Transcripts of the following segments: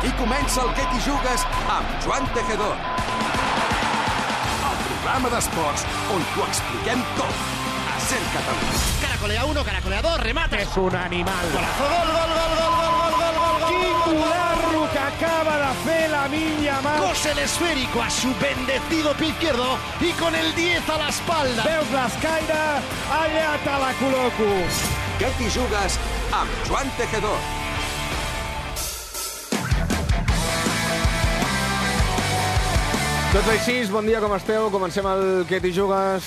I comença el Que t'hi jugues amb Joan Tejedor. El programa d'esports on t'ho expliquem tot. A Ser Catalunya. Caracolea 1, caracolea 2, remate. Es un animal. Golazo, gol, gol, gol, gol, gol, gol, gol, gol, gol. Quin golazo que acaba de fer Lamine Yamal. Cose el esférico a su bendecido pie izquierdo y con el 10 a la espalda. Veus l'escaire? Allà te la col·loco. Que t'hi jugues amb Joan Tejedor. Tots així, bon dia, com esteu? Comencem el Que t'hi jugues.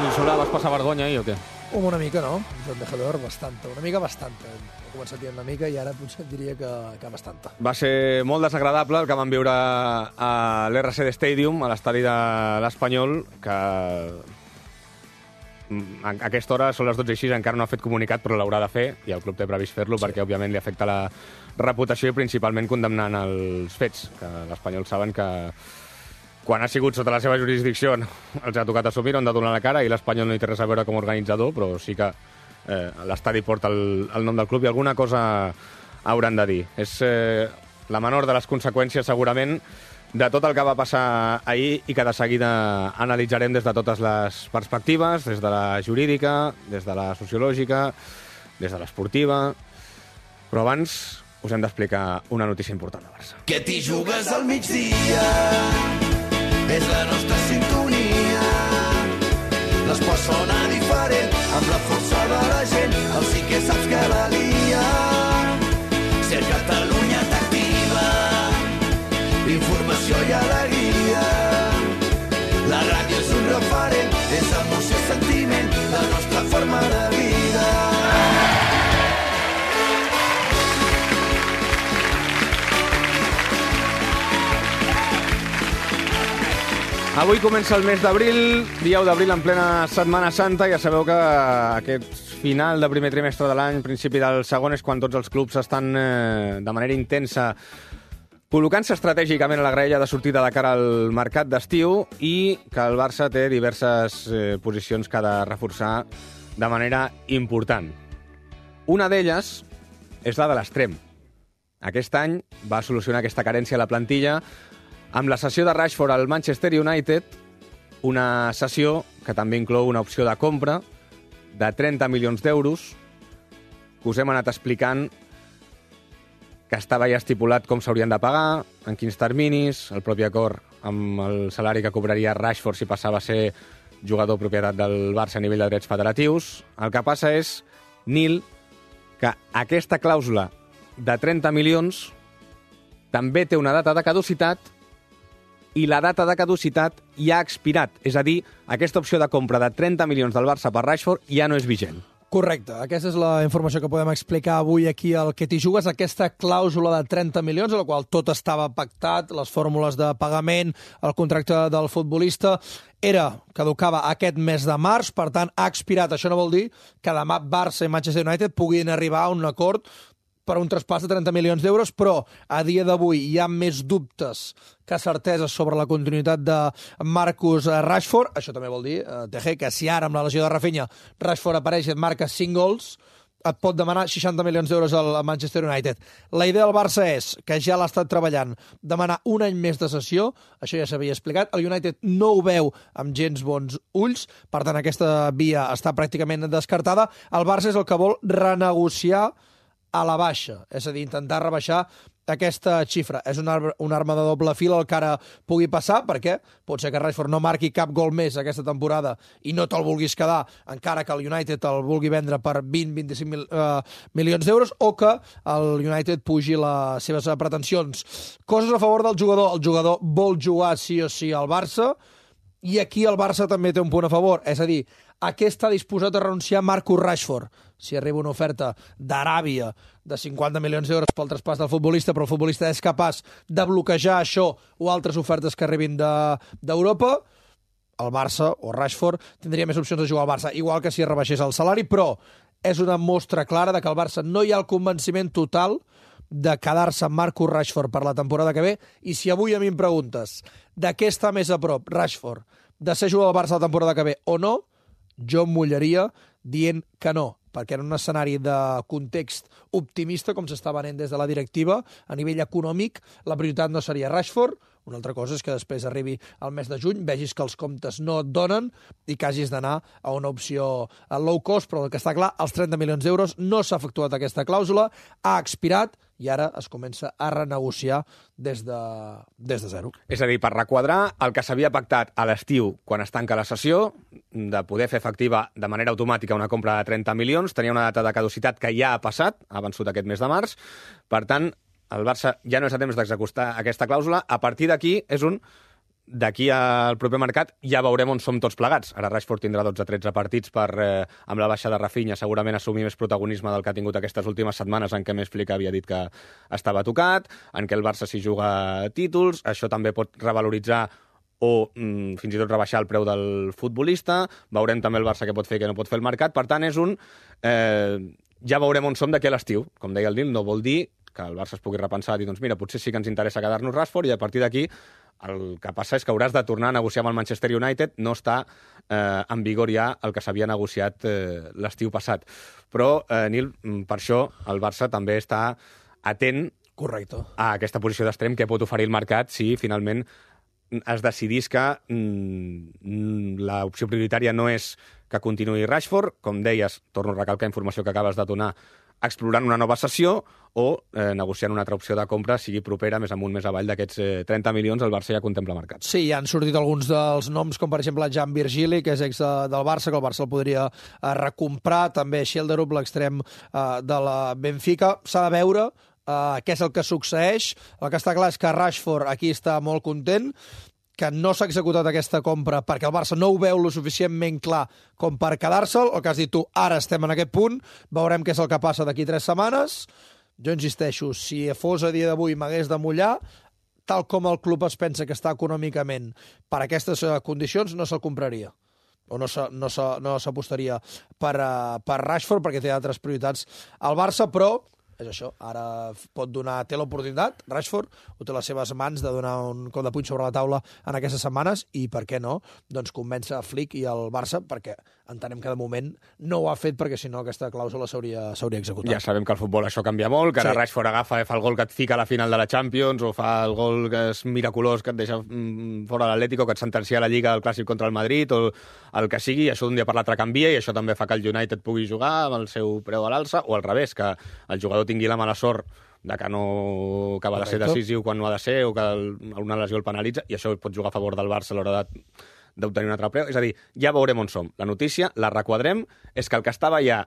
I Solà, vas passar vergonya ahir o què? Una mica, no? Joan Tejedor, bastanta. Una mica bastanta. He començat dient una mica i ara potser et diria que bastanta. Va ser molt desagradable el que vam viure a l'RCD Stadium, a l'estadi de l'Espanyol, que a aquesta hora són les 12:06, encara no ha fet comunicat, però l'haurà de fer, i el club té previst fer-lo, sí, perquè òbviament li afecta la reputació i principalment condemnant els fets, que l'Espanyol saben que quan ha sigut sota la seva jurisdicció els ha tocat assumir, han de donar la cara, i l'Espanyol no hi té res a veure com a organitzador, però sí que l'estadi porta el nom del club i alguna cosa hauran de dir. És la menor de les conseqüències, segurament, de tot el que va passar ahir i que de seguida analitzarem des de totes les perspectives, des de la jurídica, des de la sociològica, des de l'esportiva. Però abans us hem d'explicar una notícia important de Barça. Que t'hi jugues al migdia, és la nostra sintonia. L'esport sona diferent, amb la força de la gent, el sí que saps que la lia. Ser Catalunya t'activa, informació i alegria. La ràdio és un referent, és emoció i sentiment, la nostra forma de vida. Avui comença el mes d'abril, dia 1 d'abril en plena Setmana Santa. Ja sabeu que aquest final de primer trimestre de l'any, principi del segon, és quan tots els clubs estan de manera intensa col·locant-se estratègicament a la graella de sortida de cara al mercat d'estiu, i que el Barça té diverses posicions que ha de reforçar de manera important. Una d'elles és la de l'extrem. Aquest any va solucionar aquesta carència a la plantilla amb la cessió de Rashford al Manchester United, una cessió que també inclou una opció de compra de 30 milions d'euros, que us hem anat explicant que estava ja estipulat com s'haurien de pagar, en quins terminis, el propi acord amb el salari que cobraria Rashford si passava a ser jugador propietat del Barça a nivell de drets federatius. El que passa és, Nil, que aquesta clàusula de 30 milions també té una data de caducitat, i la data de caducitat ja ha expirat. És a dir, aquesta opció de compra de 30 milions del Barça per Rashford ja no és vigent. Correcte. Aquesta és la informació que podem explicar avui aquí al Que t'hi jugues, aquesta clàusula de 30 milions, a la qual tot estava pactat, les fórmules de pagament, el contracte del futbolista, caducava aquest mes de març, per tant, ha expirat. Això no vol dir que demà Barça i Manchester United puguin arribar a un acord per un traspàs de 30 milions d'euros, però a dia d'avui hi ha més dubtes que certeses sobre la continuïtat de Marcus Rashford. Això també vol dir, Teje, que si ara amb la lesió de Rafinha Rashford apareix i et marca 5 gols, et pot demanar 60 milions d'euros al Manchester United. La idea del Barça és, que ja l'ha estat treballant, demanar un any més de cessió, això ja s'havia explicat, el United no ho veu amb gens bons ulls, per tant aquesta via està pràcticament descartada. El Barça és el que vol renegociar a la baixa, és a dir, intentar rebaixar aquesta xifra. És una arma de doble fil el que ara pugui passar, perquè pot ser que Rashford no marqui cap gol més aquesta temporada i no te'l vulguis quedar, encara que el United el vulgui vendre per 20-25 milions d'euros, o que el United pugi les seves pretensions. Coses a favor del jugador. El jugador vol jugar sí o sí al Barça, i aquí el Barça també té un punt a favor, és a dir, a què està disposat a renunciar Marcus Rashford? Si arriba una oferta d'Aràbia de 50 milions d'euros pel traspàs del futbolista, però el futbolista és capaç de bloquejar això o altres ofertes que arribin d'Europa, el Barça o Rashford tindria més opcions de jugar al Barça, igual que si rebaixés el salari, però és una mostra clara de que al Barça no hi ha el convenciment total de quedar-se amb Marcus Rashford per la temporada que ve, i si avui a mi em preguntes de què està més a prop Rashford, de ser jugador del Barça la temporada que ve o no, jo em mullaria dient que no. perquè en un escenari de context optimista, com s'està venent des de la directiva, a nivell econòmic, la prioritat no seria Rashford. Una altra cosa és que després arribi el mes de juny, vegis que els comptes no et donen i que hagis d'anar a una opció low cost, però el que està clar, els 30 milions d'euros no s'ha efectuat aquesta clàusula, ha expirat i ara es comença a renegociar des de zero. És a dir, per requadrar el que s'havia pactat a l'estiu quan es tanca la sessió, de poder fer efectiva de manera automàtica una compra de 30 milions, tenia una data de caducitat que ja ha passat, ha vençut aquest mes de març, per tant, el Barça ja no és a temps d'executar aquesta clàusula. A partir d'aquí és d'aquí al proper mercat ja veurem on som tots plegats. Ara Rashford tindrà 12-13 partits per, amb la baixa de Rafinha, segurament assumir més protagonisme del que ha tingut aquestes últimes setmanes en què més Flick havia dit que estava tocat, en què el Barça s'hi juga títols, això també pot revaloritzar o fins i tot rebaixar el preu del futbolista. Veurem també el Barça què pot fer i què no pot fer el mercat. Per tant, és ja veurem on som d'aquí a l'estiu. Com deia el Nil, no vol dir que el Barça es pugui repensar i dir, doncs mira, potser sí que ens interessa quedar-nos Rashford i a partir d'aquí el que passa és que hauràs de tornar a negociar amb el Manchester United, no està en vigor ja el que s'havia negociat l'estiu passat. Però, Nil, per això el Barça també està atent Correcte. A aquesta posició d'extrem que pot oferir el mercat si finalment es decidís que l'opció prioritària no és que continuï Rashford, com deies, torno a recalcar informació que acabes de donar, explorant una nova sessió o negociant una altra opció de compra, sigui propera, més amunt, més avall d'aquests 30 milions, el Barça ja contempla mercat. Sí, ja han sortit alguns dels noms, com per exemple Jan Virgili, que és ex del Barça, que el Barça el podria recomprar, també Schilderup, l'extrem de la Benfica. S'ha de veure què és el que succeeix. El que està clar és que Rashford aquí està molt content, que no s'ha executat aquesta compra perquè el Barça no ho veu lo suficientment clar com per quedar-se'l, el que has dit tu, ara estem en aquest punt, veurem què és el que passa d'aquí 3 setmanes. Jo insisteixo, si fos a dia d'avui m'hagués de mullar, tal com el club es pensa que està econòmicament per aquestes condicions, no se'l compraria. O no s'apostaria per Rashford perquè té altres prioritats al Barça, però és això, ara té l'oportunitat, Rashford, ho té a les seves mans de donar un cop de puny sobre la taula en aquestes setmanes i, per què no, doncs convèncer a Flick i el Barça, perquè entenem que de moment no ho ha fet perquè si no aquesta clàusula s'hauria executat. Ja sabem que al futbol això canvia molt, que ara Rashford agafa, fa el gol que et fica a la final de la Champions o fa el gol que és miraculós que et deixa fora l'Atlético, que et sentencia a la Lliga al Clàssic contra el Madrid o el que sigui, i això d'un dia per l'altre canvia i això també fa que el United pugui jugar amb el seu preu a l'alça o al revés, que el jugador tingui la mala sort de que no acaba de ser decisiu quan no ha de ser o que una lesió el penalitza i això pot jugar a favor del Barça a l'hora d'obtenir un altre preu. És a dir, ja veurem on som. La notícia, la requadrem, és que el que estava ja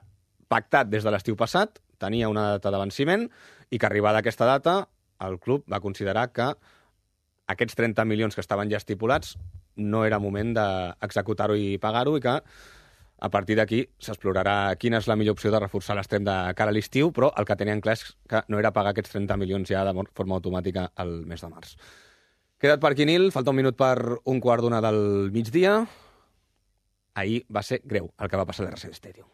pactat des de l'estiu passat tenia una data de venciment i que arribada aquesta data el club va considerar que aquests 30 milions que estaven ja estipulats no era moment d'executar-ho i pagar-ho i que a partir d'aquí s'explorarà quina és la millor opció de reforçar l'extrem de cara a l'estiu, però el que tenien clar és que no era pagar aquests 30 milions ja de forma automàtica al mes de març. Queda't per aquí, Nil. Falta un minut per 1:15 del migdia. Ahir va ser greu el que va passar a l'RC Stadium.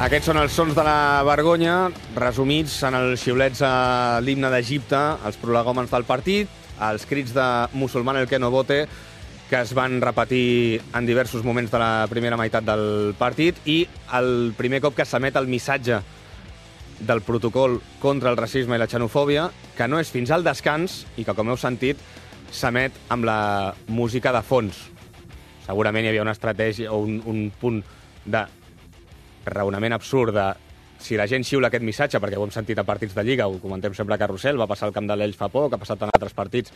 Aquests són els sons de la vergonya, resumits en els xiulets a l'himne d'Egipte, els prolegòmens del partit, els crits de musulman el que no vote, que es van repetir en diversos moments de la primera meitat del partit, i el primer cop que s'emet el missatge del protocol contra el racisme i la xenofòbia, que no és fins al descans i que, com heu sentit, s'emet amb la música de fons. Segurament hi havia una estratègia o un punt de raonament absurd de si la gent xiula aquest missatge, perquè ho hem sentit a partits de Lliga, ho comentem sempre a Carrusel, va passar al camp de l'Elx fa poc, ha passat en altres partits,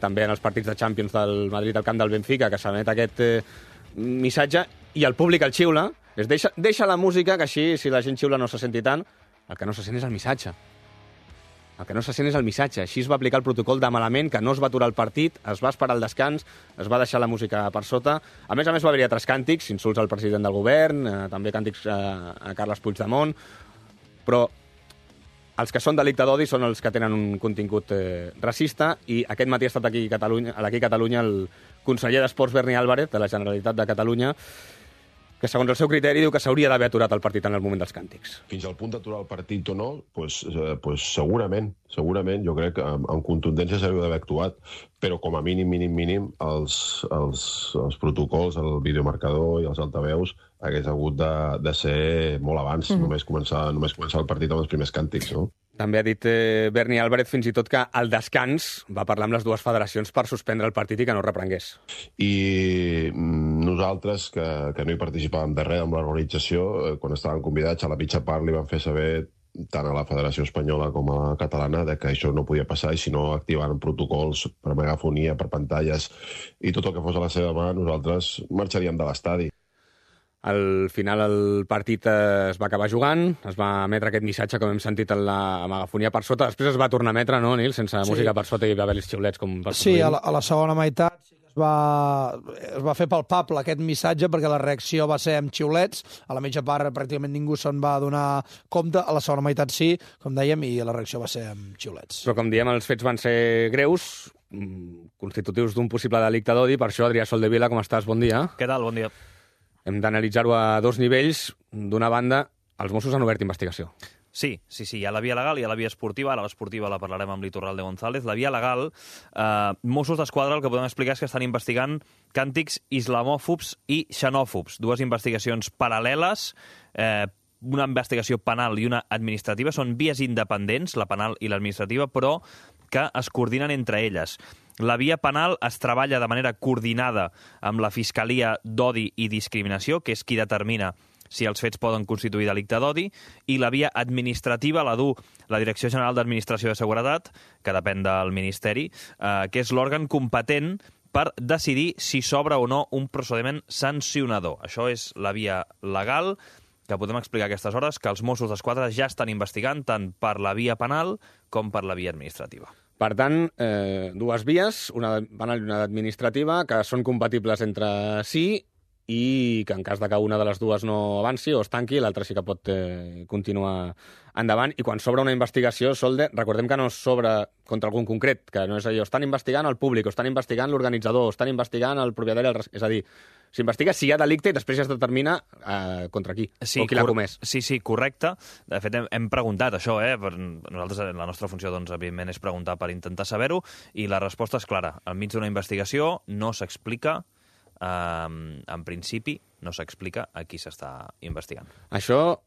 també en els partits de Champions del Madrid al camp del Benfica, que s'emet aquest missatge i el públic el xiula, deixa la música, que així, si la gent xiula no se senti tant, el que no se sent és el missatge. El que no se sent és el missatge. Així es va aplicar el protocol de malament, que no es va aturar el partit, es va esperar el descans, es va deixar la música per sota. A més, va haver-hi altres càntics, insults al president del govern, també càntics a Carles Puigdemont, però els que són delicte d'odi són els que tenen un contingut racista, i aquest matí ha estat aquí a Catalunya el conseller d'Esports Berni Álvarez, de la Generalitat de Catalunya, que segons el seu criteri diu que s'hauria d'haver aturat el partit en el moment dels càntics. Fins al punt d'aturar el partit o no, segurament, jo crec que amb contundència s'hauria d'haver actuat, però com a mínim, els protocols, el videomarcador i els altaveus hagués hagut de ser molt abans, només començar el partit amb els primers càntics, no? També ha dit Berni Álvarez fins i tot que al descans va parlar amb les dues federacions per suspendre el partit i que no reprengués. I nosaltres, que no hi participàvem de res amb l'organització, quan estàvem convidats a la mitja part li van fer saber tant a la Federació Espanyola com a la catalana de que això no podia passar, i si no activaven protocols per megafonia, per pantalles i tot el que fos a la seva mà, nosaltres marxaríem de l'estadi. Al final el partit es va acabar jugant, es va emetre aquest missatge, com hem sentit en la megafonia per sota, després es va tornar a emetre, no, Nil? Sense música per sota, i hi va haver els xiulets. Sí, a la segona meitat sí que es va fer palpable aquest missatge, perquè la reacció va ser amb xiulets. A la mitja part pràcticament ningú se'n va donar compte, a la segona meitat sí, com dèiem, i la reacció va ser amb xiulets. Però com diem, els fets van ser greus, constitutius d'un possible delicte d'odi. Per això, Adrià Soldevila, com estàs? Bon dia. Què tal? Bon dia. Hem d'analitzar-ho a dos nivells. D'una banda, els Mossos han obert investigació. Sí, hi ha la via legal i hi ha la via esportiva. Ara l'esportiva la parlarem amb l'Iturralde González. La via legal, Mossos d'Esquadra, el que podem explicar és que estan investigant càntics islamòfobs i xenòfobs. Dues investigacions paral·leles, una investigació penal i una administrativa. Són vies independents, la penal i l'administrativa, però que es coordinen entre elles. La via penal es treballa de manera coordinada amb la Fiscalia d'Odi i Discriminació, que és qui determina si els fets poden constituir delicte d'odi, i la via administrativa la du la Direcció General d'Administració de Seguretat, que depèn del Ministeri, que és l'òrgan competent per decidir si s'obre o no un procediment sancionador. Això és la via legal, que podem explicar a aquestes hores, que els Mossos d'Esquadra ja estan investigant tant per la via penal com per la via administrativa. Per tant, dues vies, una penal i una administrativa, que són compatibles entre si, i que en cas de que una de les dues no avanci o es tanqui, l'altra sí que pot continuar endavant. I quan s'obre una investigació, Solde, recordem que no s'obre contra algun concret, que no és allò, estan investigant el públic, o estan investigant l'organitzador, o estan investigant el propietari, és a dir, s'investiga si hi ha delicte i després ja es determina contra qui, o qui l'ha comès. Sí, correcte. De fet, hem preguntat això, nosaltres, la nostra funció, doncs, evidentment, és preguntar per intentar saber-ho, i la resposta és clara. Enmig d'una investigació no s'explica, en principi, no s'explica a qui s'està investigant. Això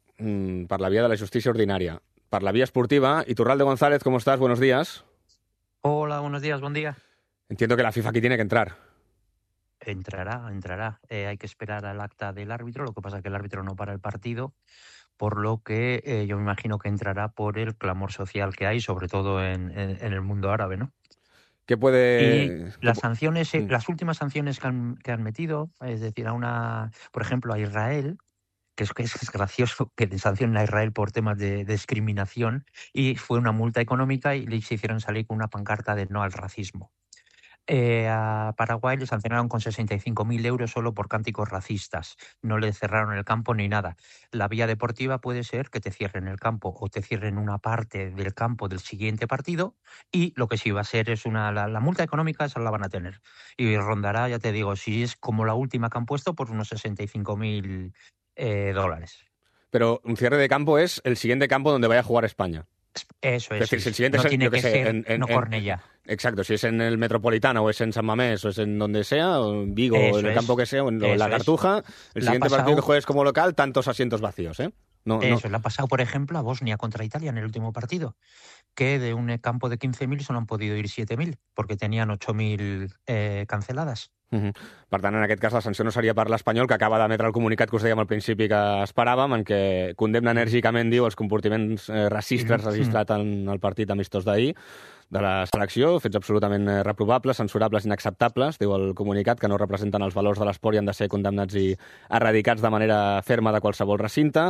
per la via de la justícia ordinària. Per la vía esportiva, Iturralde González, ¿cómo estás? Buenos días. Hola, buenos días, buen día. Entiendo que la FIFA aquí tiene que entrar. Entrará. Hay que esperar al acta del árbitro, lo que pasa es que el árbitro no para el partido, por lo que yo me imagino que entrará por el clamor social que hay, sobre todo en el mundo árabe, ¿no? ¿Qué puede...? Y las sanciones, las últimas sanciones que han metido, es decir, por ejemplo, a Israel, que es gracioso que le sancionen a Israel por temas de discriminación, y fue una multa económica y les hicieron salir con una pancarta de no al racismo. A Paraguay le sancionaron con 65.000 euros solo por cánticos racistas. No le cerraron el campo ni nada. La vía deportiva puede ser que te cierren el campo o te cierren una parte del campo del siguiente partido, y lo que sí va a ser es la multa económica, esa la van a tener. Y rondará, ya te digo, si es como la última que han puesto, pues unos 65.000 dólares. Pero un cierre de campo es el siguiente campo donde vaya a jugar España. Eso es. Es decir, si el siguiente no es, tiene yo que sé, ser no Cornellà. Exacto, si es en el Metropolitano o es en San Mamés o es en donde sea, o en Vigo o en el campo que sea, o en la Cartuja, el siguiente partido que juegues como local, tantos asientos vacíos, ¿eh? Le ha pasado, por ejemplo, a Bosnia contra Italia en el último partido, que de un campo de 15.000 solo han podido ir 7.000, porque tenían 8.000 canceladas. Per tant, en aquest cas, la sanció no seria per l'Espanyol, que acaba d'emetre el comunicat que us dèiem al principi que esperàvem, en què condemna enèrgicament, diu, els comportaments racistes registrat en el partit amistós d'ahir de la selecció, fets absolutament reprovables, censurables, inacceptables, diu el comunicat, que no representen els valors de l'esport i han de ser condemnats i erradicats de manera ferma de qualsevol recinte.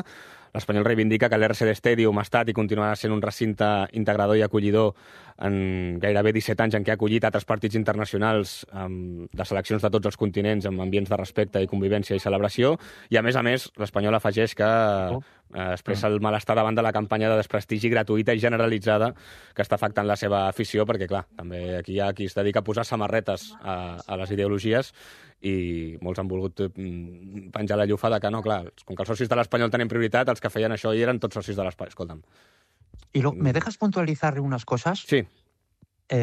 l'Espanyol reivindica que l'RCD Stadium ha estat i continuarà sent un recinte integrador i acollidor en gairebé 17 anys en què ha acollit altres partits internacionals de seleccions de tots els continents amb ambients de respecte i convivència i celebració, i a més, l'Espanyol afegeix que expressa el malestar davant de la campanya de desprestigi gratuïta i generalitzada que està afectant la seva afició, perquè, clar, també aquí hi ha qui es dedica a posar samarretes a les ideologies i molts han volgut penjar la llufa de que no, clar, com que els socis de l'Espanyol tenen prioritat, els que feien això hi eren tots socis de l'Espanyol. Escolta'm. ¿Y ¿me dejas puntualizar unas cosas? Sí.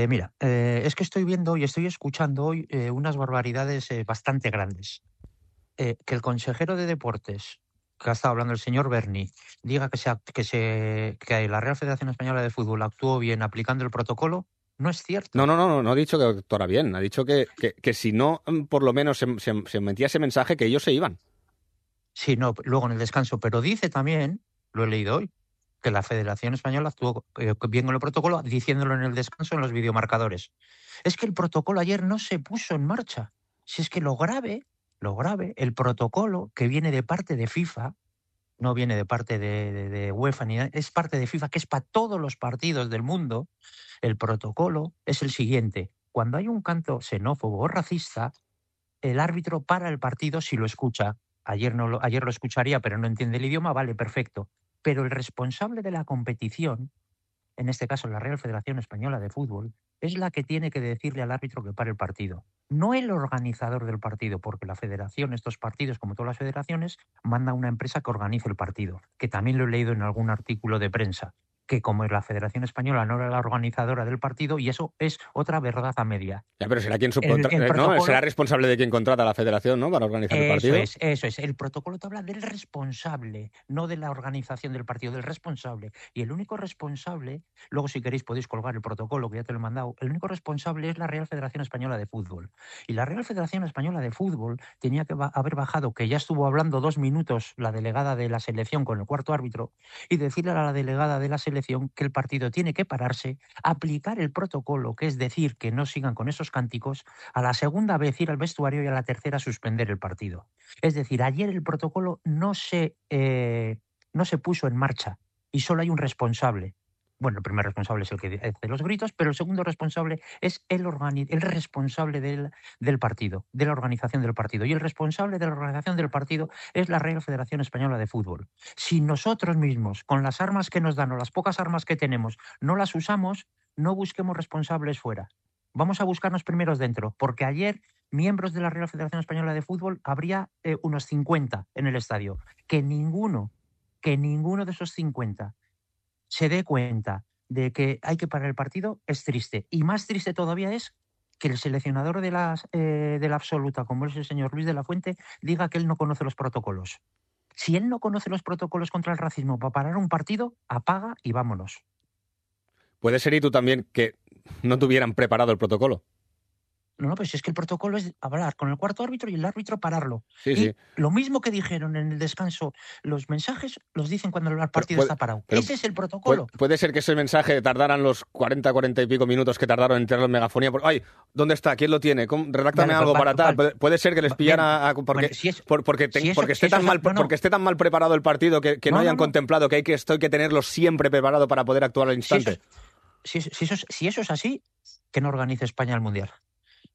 Mira, es que estoy viendo y estoy escuchando hoy unas barbaridades bastante grandes. Que el consejero de Deportes, que ha estado hablando el señor Berni, diga que la Real Federación Española de Fútbol actuó bien aplicando el protocolo, no es cierto. No ha dicho que actuara bien. Ha dicho que si no, por lo menos se metía ese mensaje que ellos se iban. Sí, no, luego en el descanso. Pero dice también, lo he leído hoy, que la Federación Española actuó bien con el protocolo, diciéndolo en el descanso en los videomarcadores. Es que el protocolo ayer no se puso en marcha. Si es que lo grave, el protocolo que viene de parte de FIFA, no viene de parte de UEFA ni nada, es parte de FIFA, que es para todos los partidos del mundo. El protocolo es el siguiente: cuando hay un canto xenófobo o racista, el árbitro para el partido si lo escucha. Ayer lo escucharía, pero no entiende el idioma, vale, perfecto. Pero el responsable de la competición, en este caso la Real Federación Española de Fútbol, es la que tiene que decirle al árbitro que pare el partido. No el organizador del partido, porque la federación, estos partidos, como todas las federaciones, manda a una empresa que organice el partido, que también lo he leído en algún artículo de prensa, que como la Federación Española no era la organizadora del partido, y eso es otra verdad a media. Ya, pero será quien ¿no? Será responsable de quien contrata a la Federación, ¿no?, para organizar el partido. Eso es. El protocolo te habla del responsable, no de la organización del partido, del responsable. Y el único responsable, luego si queréis podéis colgar el protocolo, que ya te lo he mandado, el único responsable es la Real Federación Española de Fútbol. Y la Real Federación Española de Fútbol tenía que haber bajado, que ya estuvo hablando 2 minutos la delegada de la selección con el cuarto árbitro, y decirle a la delegada de la selección que el partido tiene que pararse, aplicar el protocolo, que es decir, que no sigan con esos cánticos, a la segunda vez ir al vestuario y a la tercera suspender el partido. Es decir, ayer el protocolo no se puso en marcha y solo hay un responsable. Bueno, el primer responsable es el que hace los gritos, pero el segundo responsable es el responsable del partido, de la organización del partido. Y el responsable de la organización del partido es la Real Federación Española de Fútbol. Si nosotros mismos, con las armas que nos dan o las pocas armas que tenemos, no las usamos, no busquemos responsables fuera. Vamos a buscarnos primeros dentro, porque ayer miembros de la Real Federación Española de Fútbol habría unos 50 en el estadio. Que ninguno de esos 50 se dé cuenta de que hay que parar el partido es triste. Y más triste todavía es que el seleccionador de la absoluta, como es el señor Luis de la Fuente, diga que él no conoce los protocolos. Si él no conoce los protocolos contra el racismo para parar un partido, apaga y vámonos. Puede ser, y tú también, que no tuvieran preparado el protocolo. No, pues es que el protocolo es hablar con el cuarto árbitro y el árbitro pararlo. Sí. Lo mismo que dijeron en el descanso, los mensajes los dicen cuando el partido está parado. Ese es el protocolo. Puede ser que ese mensaje tardaran los 40 y pico minutos que tardaron en tenerlo en megafonía. ¡Ay! ¿Dónde está? ¿Quién lo tiene? Redáctame algo para tal. Puede ser que les pillara porque esté tan mal preparado el partido que no hayan contemplado que hay que tenerlo siempre preparado para poder actuar al instante. Si eso es así, que no organice España el Mundial.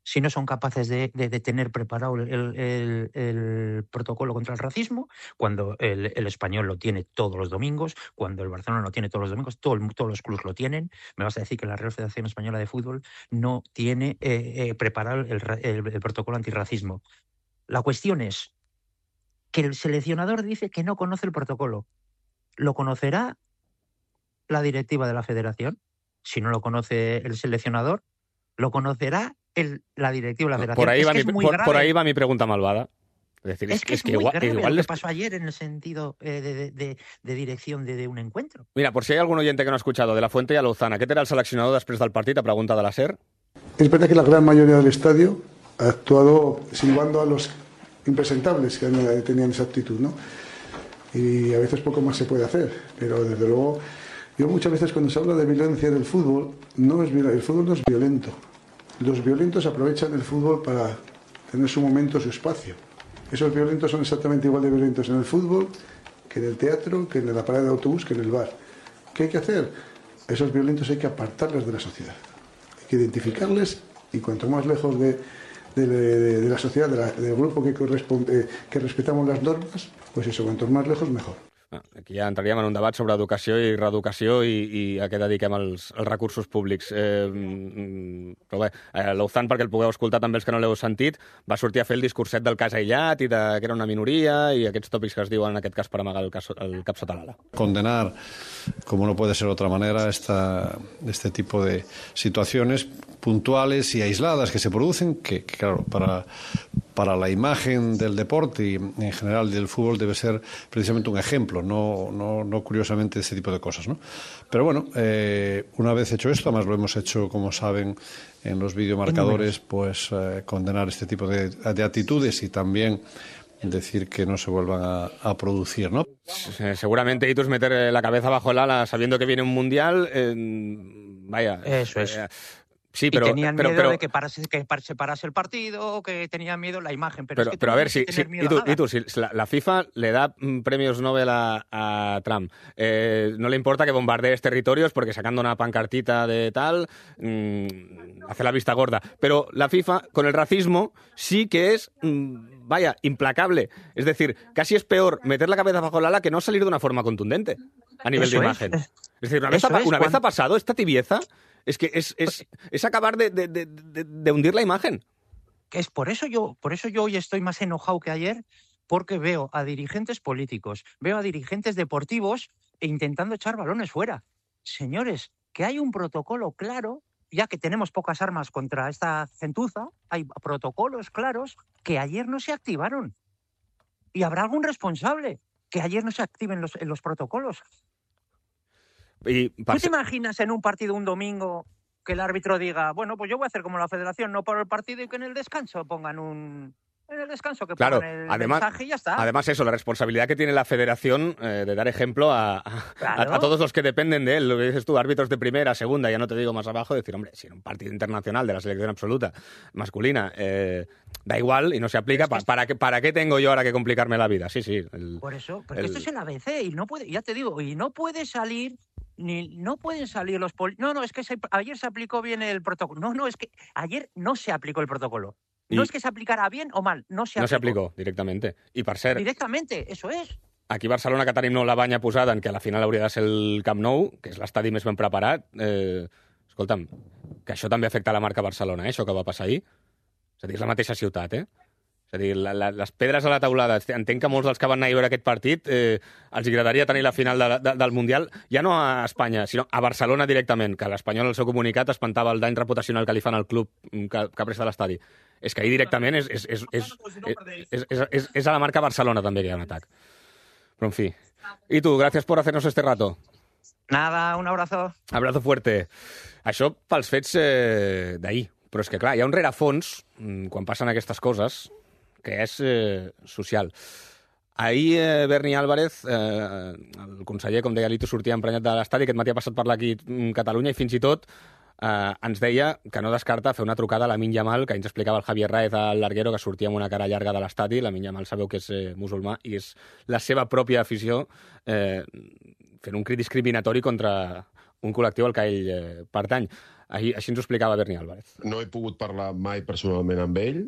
Si no son capaces de tener preparado el protocolo contra el racismo, cuando el Español lo tiene todos los domingos, cuando el Barcelona lo tiene todos los domingos, todos los clubes lo tienen, me vas a decir que la Real Federación Española de Fútbol no tiene preparado el protocolo antirracismo. La cuestión es que el seleccionador dice que no conoce el protocolo. ¿Lo conocerá la directiva de la federación? Si no lo conoce el seleccionador, ¿lo conocerá la directiva de la federación? Por ahí va mi pregunta malvada. Es decir, es que muy grave lo que pasó ayer en el sentido de dirección de un encuentro. Mira, por si hay algún oyente que no ha escuchado, de la Fuente y a Lozana, ¿qué te era el seleccionador després del partit? Ha preguntat a la SER. Es verdad que la gran mayoría del estadio ha actuado silbando a los impresentables que tenían esa actitud, ¿no? Y a veces poco más se puede hacer, pero desde luego, yo muchas veces cuando se habla de violencia del fútbol, el fútbol no es violento. Los violentos aprovechan el fútbol para tener su momento, su espacio. Esos violentos son exactamente igual de violentos en el fútbol que en el teatro, que en la parada de autobús, que en el bar. ¿Qué hay que hacer? Esos violentos hay que apartarles de la sociedad. Hay que identificarles y cuanto más lejos de la sociedad, del grupo que respetamos las normas, pues eso, cuanto más lejos, mejor. Aquí ja entraríem en un debat sobre educació i reeducació i a què dediquem els recursos públics. Però bé, l'Ouzan, perquè el pugueu escoltar també els que no l'heu sentit, va sortir a fer el discurset del cas aïllat i que era una minoria i aquests tòpics que es diuen en aquest cas per amagar el cap sota l'ala. Condenar, como no puede ser de otra manera, este tipo de situaciones puntuales y aisladas que se producen, que claro, para la imagen del deporte y en general del fútbol debe ser precisamente un ejemplo, no curiosamente ese tipo de cosas, ¿no? Pero bueno, una vez hecho esto, además lo hemos hecho, como saben, en los videomarcadores, pues condenar este tipo de actitudes y también decir que no se vuelvan a producir, ¿no? Seguramente Itu es meter la cabeza bajo el ala sabiendo que viene un mundial. Vaya. Eso es. Sí, pero, y tenían miedo de que se parase el partido, que tenían miedo la imagen. Pero a ver, si la FIFA le da premios Nobel a Trump, no le importa que bombardees territorios porque sacando una pancartita de tal, hace la vista gorda. Pero la FIFA, con el racismo, sí que es, implacable. Es decir, casi es peor meter la cabeza bajo el ala que no salir de una forma contundente a nivel de imagen. Es decir, una vez ha pasado esta tibieza. Es que es acabar de hundir la imagen. Es por eso yo hoy estoy más enojado que ayer, porque veo a dirigentes políticos, veo a dirigentes deportivos intentando echar balones fuera. Señores, que hay un protocolo claro, ya que tenemos pocas armas contra esta gentuza, hay protocolos claros que ayer no se activaron. Y habrá algún responsable que ayer no se activen los protocolos. ¿Tú te imaginas en un partido un domingo que el árbitro diga, bueno, pues yo voy a hacer como la federación, no por el partido y que en el descanso pongan pongan el mensaje y ya está? Además eso, la responsabilidad que tiene la federación de dar ejemplo a todos los que dependen de él. Lo que dices tú, árbitros de primera, segunda, ya no te digo más abajo, decir, hombre, si en un partido internacional de la selección absoluta masculina da igual y no se aplica, ¿para qué tengo yo ahora que complicarme la vida? Sí. Por eso, porque esto es el ABC y no puede, ya te digo, y no puede salir... no pueden salir los es que ayer se aplicó bien el protocolo. No, es que ayer no se aplicó el protocolo. No es que se aplicara bien o mal, no se aplicó directamente. I per cert... Directamente, eso es. Aquí a Barcelona, que tenim la banya posada en que a la final hauria de ser el Camp Nou, que és l'estadi més ben preparat, escolta'm, que això també afecta la marca Barcelona, això que va passar ahir. És a dir, és la mateixa ciutat, És a dir, les pedres a la taulada, entenc que molts dels que van anar a veure aquest partit els agradaria tenir la final del Mundial, ja no a Espanya, sinó a Barcelona directament, que l'Espanyol al seu comunicat espantava el dany reputacional que li fan al club que presta l'estadi. És que ahir directament és a la marca Barcelona també que hi ha un atac. Però en fi. I tu, gràcies per hacernos este rato. Nada, un abrazo. Abrazo fuerte. Això pels fets d'ahir. Però és que, clar, hi ha un rerefons, quan passen aquestes coses, que és social. Ahir Berni Álvarez, el conseller, com deia l'Ito, sortia emprenyat de l'estadi, aquest matí ha passat per aquí Catalunya i fins i tot ens deia que no descarta fer una trucada a Lamine Yamal, que ens explicava el Javier Raez al larguero, que sortia amb una cara llarga de l'estadi. Lamine Yamal sabeu que és musulmà i és la seva pròpia afició fent un crit discriminatori contra un col·lectiu al que ell pertany. Així ens ho explicava Berni Álvarez. No he pogut parlar mai personalment amb ell,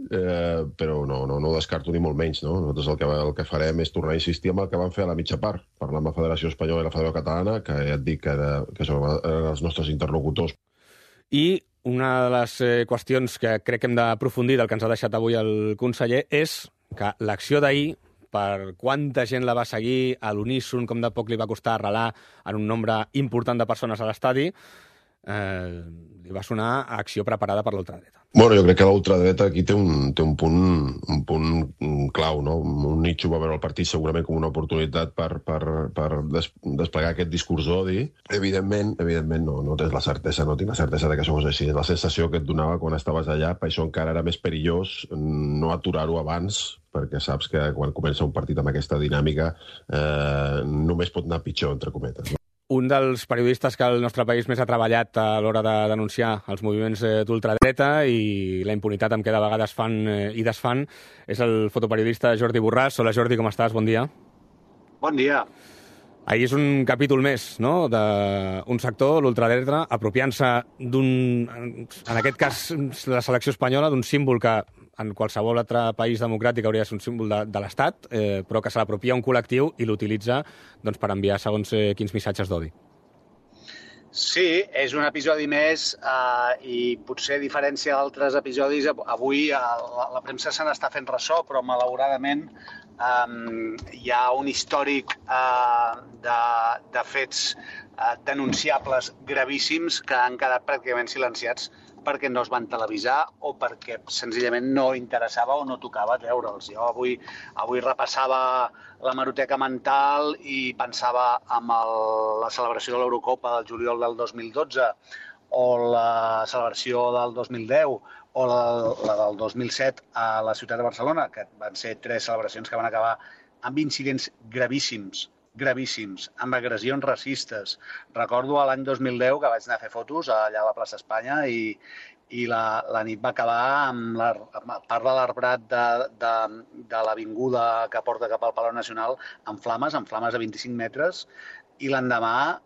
però no ho descarto ni molt menys. No? Nosaltres el que farem és tornar a insistir amb el que van fer a la mitja part, parlar amb la Federació Espanyola i la Federació Catalana, que ja et dic que són els nostres interlocutors. I una de les qüestions que crec que hem d'aprofundir del que ens ha deixat avui el conseller és que l'acció d'ahir, per quanta gent la va seguir, a l'uníson, com de poc li va costar arrelar en un nombre important de persones a l'estadi, li va sonar a acció preparada per l'ultradreta. Bueno, jo crec que l'ultradreta aquí té un punt clau, no? Un nitxo va veure el partit segurament com una oportunitat per desplegar aquest discurs d'odi. Evidentment, no tens la certesa, no tinc la certesa de que això és així. La sensació que et donava quan estaves allà, per això encara era més perillós no aturar-ho abans, perquè saps que quan comença un partit amb aquesta dinàmica només pot anar pitjor, entre cometes. Un dels periodistes que el nostre país més ha treballat a l'hora de denunciar els moviments d'ultradreta i la impunitat amb què de vegades fan i desfan és el fotoperiodista Jordi Borràs. Hola Jordi, com estàs? Bon dia. Bon dia. Ahir és un capítol més, no?, d'un sector, l'ultradreta, apropiant-se en aquest cas, la selecció espanyola, d'un símbol que en qualsevol altre país democràtic hauria de ser un símbol de l'Estat, però que se l'apropia un col·lectiu i l'utilitza per enviar segons quins missatges d'odi. Sí, és un episodi més i potser a diferència d'altres episodis, avui la premsa se n'està fent ressò, però malauradament hi ha un històric de fets denunciables gravíssims que han quedat pràcticament silenciats perquè no es van televisar o perquè senzillament no interessava o no tocava treure'ls. Jo avui repassava la hemeroteca mental i pensava en la celebració de l'Eurocopa del juliol del 2012 o la celebració del 2010 o la del 2007 a la ciutat de Barcelona, que van ser 3 celebracions que van acabar amb incidents gravíssims, amb agressions racistes. Recordo l'any 2010 que vaig anar a fer fotos allà a la plaça Espanya i la nit va acabar amb part de l'arbrat de l'avinguda que porta cap al Palau Nacional amb flames de 25 metres i l'endemà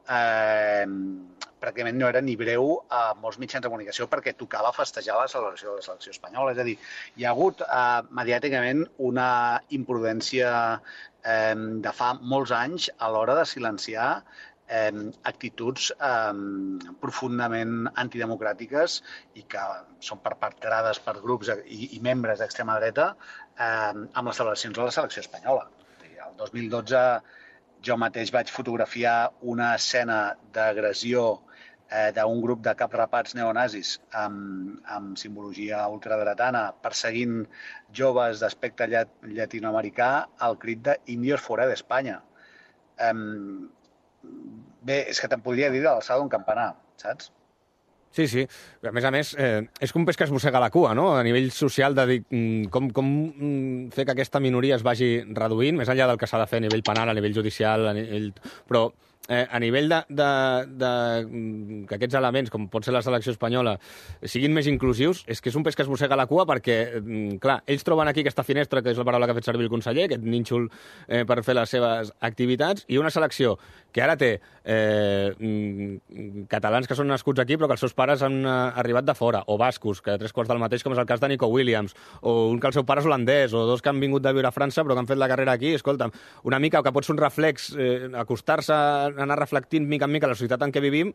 pràcticament no era ni breu a molts mitjans de comunicació perquè tocava festejar la celebració de la selecció espanyola. És a dir, hi ha hagut mediàticament una imprudència de fa molts anys a l'hora de silenciar actituds profundament antidemocràtiques i que són perpetrades per grups i membres d'extrema dreta amb les celebracions de la selecció espanyola. El 2012 jo mateix vaig fotografiar una escena d'agressió d'un grup de caprapats neonazis amb simbologia ultradretana perseguint joves d'aspecte llatinoamericà al crit de «Indios fuera de España». Bé, és que te'n podria dir de l'alçada d'un campanar, saps? Sí. A més, és com un peix que es mossega la cua, no?, a nivell social, de dir com fer que aquesta minoria es vagi reduint, més enllà del que s'ha de fer a nivell penal, a nivell judicial, però a nivell que aquests elements, com pot ser la selecció espanyola, siguin més inclusius, és que és un peix que es mossega la cua perquè, clar, ells troben aquí aquesta finestra, que és la paraula que ha fet servir el conseller, aquest nínxol per fer les seves activitats, i una selecció que ara té catalans que són nascuts aquí però que els seus pares han arribat de fora, o bascos, que 3/4 del mateix, com és el cas de Nico Williams, o un que el seu pare és holandès, o 2 que han vingut de viure a França però que han fet la carrera aquí. Escolta'm, una mica que pot ser un reflex, acostar-se, anar reflectint mica en mica la societat en què vivim,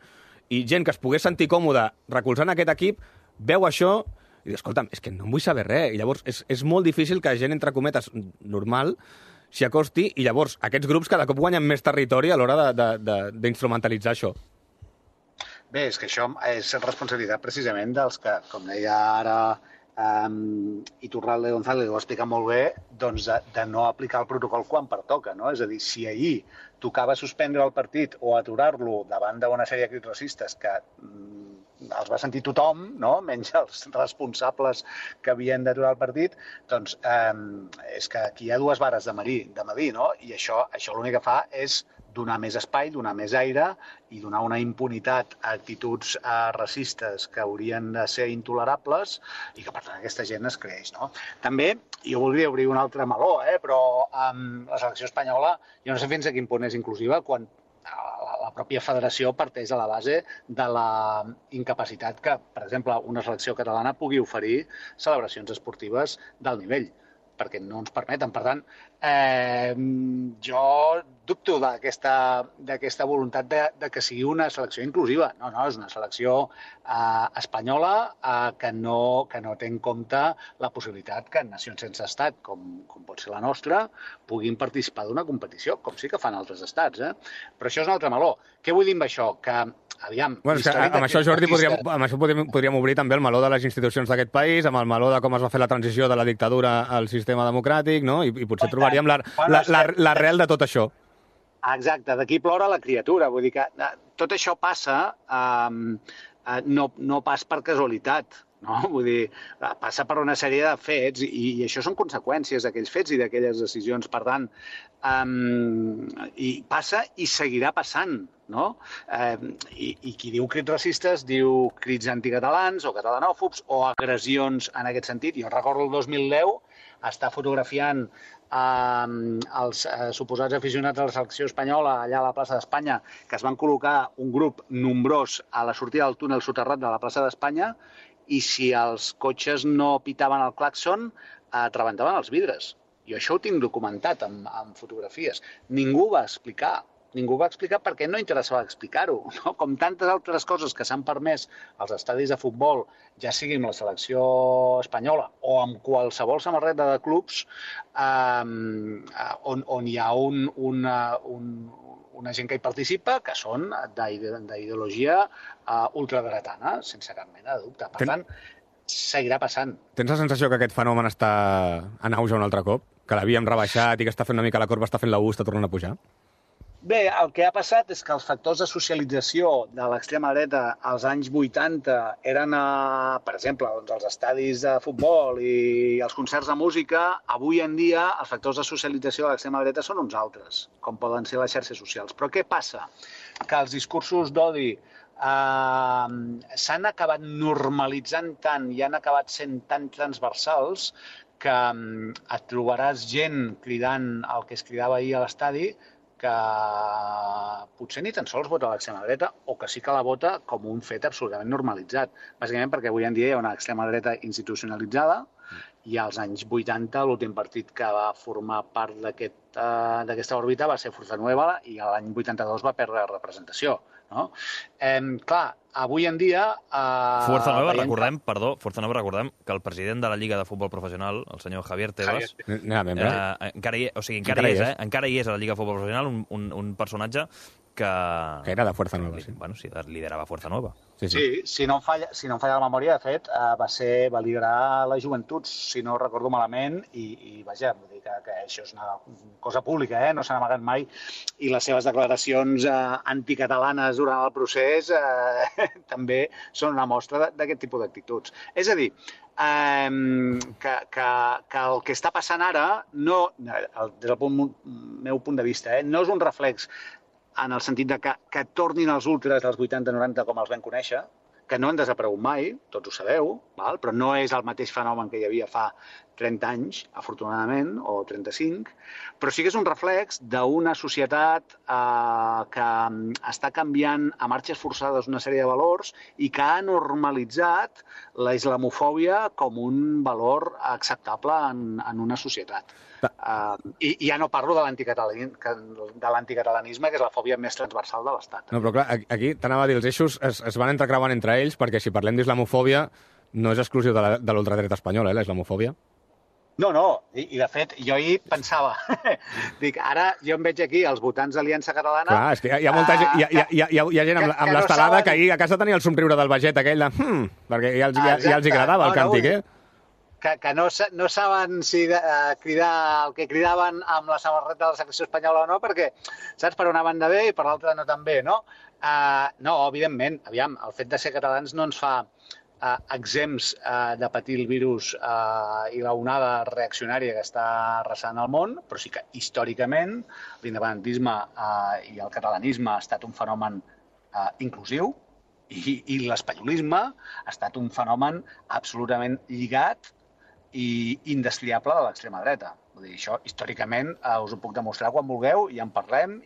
i gent que es pogués sentir còmoda recolzant aquest equip, veu això i diu, escolta'm, és que no en vull saber res. I llavors és molt difícil que gent, entre cometes, normal, s'hi acosti, i llavors aquests grups cada cop guanyen més territori a l'hora d'instrumentalitzar això. Bé, és que això és responsabilitat precisament dels que, com deia ara Iturralde González, ho va explicar molt bé, doncs de no aplicar el protocol quan pertoca, no? És a dir, si ahir tocava suspendre el partit o aturar-lo davant d'una sèrie de crits racistes que els va sentir tothom, no?, menys els responsables que havien d'aturar el partit, doncs és que aquí hi ha 2 vares de medir, no? I això l'únic que fa és donar més espai, donar més aire i donar una impunitat a actituds racistes que haurien de ser intolerables i que, per tant, aquesta gent es creix, no? També, jo voldria obrir un altre meló, però la selecció espanyola, jo no sé fins a quin punt és inclusiva quan la pròpia federació parteix de la base de la incapacitat que, per exemple, una selecció catalana pugui oferir celebracions esportives d'alt nivell, perquè no ens permeten. Per tant, jo dubto d'aquesta voluntat de que sigui una selecció inclusiva. No, és una selecció espanyola que no té en compte la possibilitat que nacions sense estat, com pot ser la nostra, puguin participar d'una competició, com sí que fan altres estats. Però això és un altre meló. Què vull dir amb això? Que aviam... Bueno, amb això, Jordi, podríem obrir també el meló de les institucions d'aquest país, amb el meló de com es va fer la transició de la dictadura al sistema democràtic, no? I potser trobaríem l'arrel de tot això. Exacte, d'aquí plora la criatura. Vull dir que tot això passa no pas per casualitat, no? Vull dir, passa per una sèrie de fets i això són conseqüències d'aquells fets i d'aquelles decisions. Per tant, i passa i seguirà passant, no? I qui diu crits racistes diu crits anticatalans o catalanòfobs o agressions en aquest sentit. Jo recordo el 2010 estar fotografiant els suposats aficionats a la selecció espanyola allà a la plaça d'Espanya, que es van col·locar un grup nombrós a la sortida del túnel soterrat de la plaça d'Espanya, i si els cotxes no pitaven el clàxon, rebentaven els vidres. Jo això ho tinc documentat amb fotografies. Ningú va explicar perquè no interessava explicar-ho, no? Com tantes altres coses que s'han permès als estadis de futbol, ja sigui amb la selecció espanyola o amb qualsevol samarreta de clubs, on hi ha una gent que hi participa que són d'ideologia ultradretana, sense cap mena de dubte. Per tant, seguirà passant. Tens la sensació que aquest fenomen està en auge un altre cop? Que l'havíem rebaixat i que està fent una mica la corba, està fent la U, està tornant a pujar? Bé, el que ha passat és que els factors de socialització de l'extrema dreta als anys 80 eren, per exemple, els estadis de futbol i els concerts de música. Avui en dia els factors de socialització de l'extrema dreta són uns altres, com poden ser les xarxes socials. Però què passa? Que els discursos d'odi s'han acabat normalitzant tant i han acabat sent tan transversals que et trobaràs gent cridant el que es cridava ahir a l'estadi que potser ni tan sols vota l'extrema dreta o que sí que la vota com un fet absolutament normalitzat. Bàsicament perquè avui en dia hi ha una extrema dreta institucionalitzada i als anys 80 l'últim partit que va formar part d'aquesta òrbita va ser Fuerza Nueva i l'any 82 va perdre representació. No? Clar, avui en dia... Força Nova, recordem que el president de la Lliga de Futbol Professional, el senyor Javier Tebas, encara hi és a la Lliga de Futbol Professional un personatge que era de Fuerza Nueva, sí. Bueno, sí, liderava Fuerza Nueva. Sí, si no em falla la memòria, de fet, va liderar les joventuts, si no recordo malament, i vaja, vull dir que això és una cosa pública, no s'ha amagat mai, i les seves declaracions anticatalanes durant el procés també són una mostra d'aquest tipus d'actituds. És a dir, que el que està passant ara, des del meu punt de vista, no és un reflex en el sentit de que tornin els ultras dels 80-90 com els vam conèixer, que no han desaparegut mai, tots ho sabeu, però no és el mateix fenomen que hi havia fa 30 anys, afortunadament, o 35, però sí que és un reflex d'una societat que està canviant a marxes forçades una sèrie de valors i que ha normalitzat la islamofòbia com un valor acceptable en una societat. I ja no parlo de l'anticatalanisme, que és la fòbia més transversal de l'Estat. No, però clar, aquí t'anava a dir, els eixos es van entrecreuant entre ells, perquè si parlem d'islamofòbia no és exclusiu de l'ultradreta espanyola, la islamofòbia. No, i de fet, jo ahir pensava, dic, ara jo em veig aquí els votants d'Aliança Catalana... Clar, és que hi ha molta gent, hi ha gent amb l'estelada que ahir a casa tenia el somriure del Baget aquell de... perquè ja els agradava el càntic, que no saben si cridar el que cridaven amb la samarreta de la selecció espanyola o no, perquè saps per una banda bé i per l'altra no tan bé, no? No, evidentment, aviam, el fet de ser catalans no ens fa exempts de patir el virus i la onada reaccionària que està arrasant el món, però sí que històricament l'independentisme i el catalanisme ha estat un fenomen inclusiu i l'espanyolisme ha estat un fenomen absolutament lligat i indestriable de l'extrema dreta. Vull dir, això històricament us ho puc demostrar quan vulgueu i en parlem,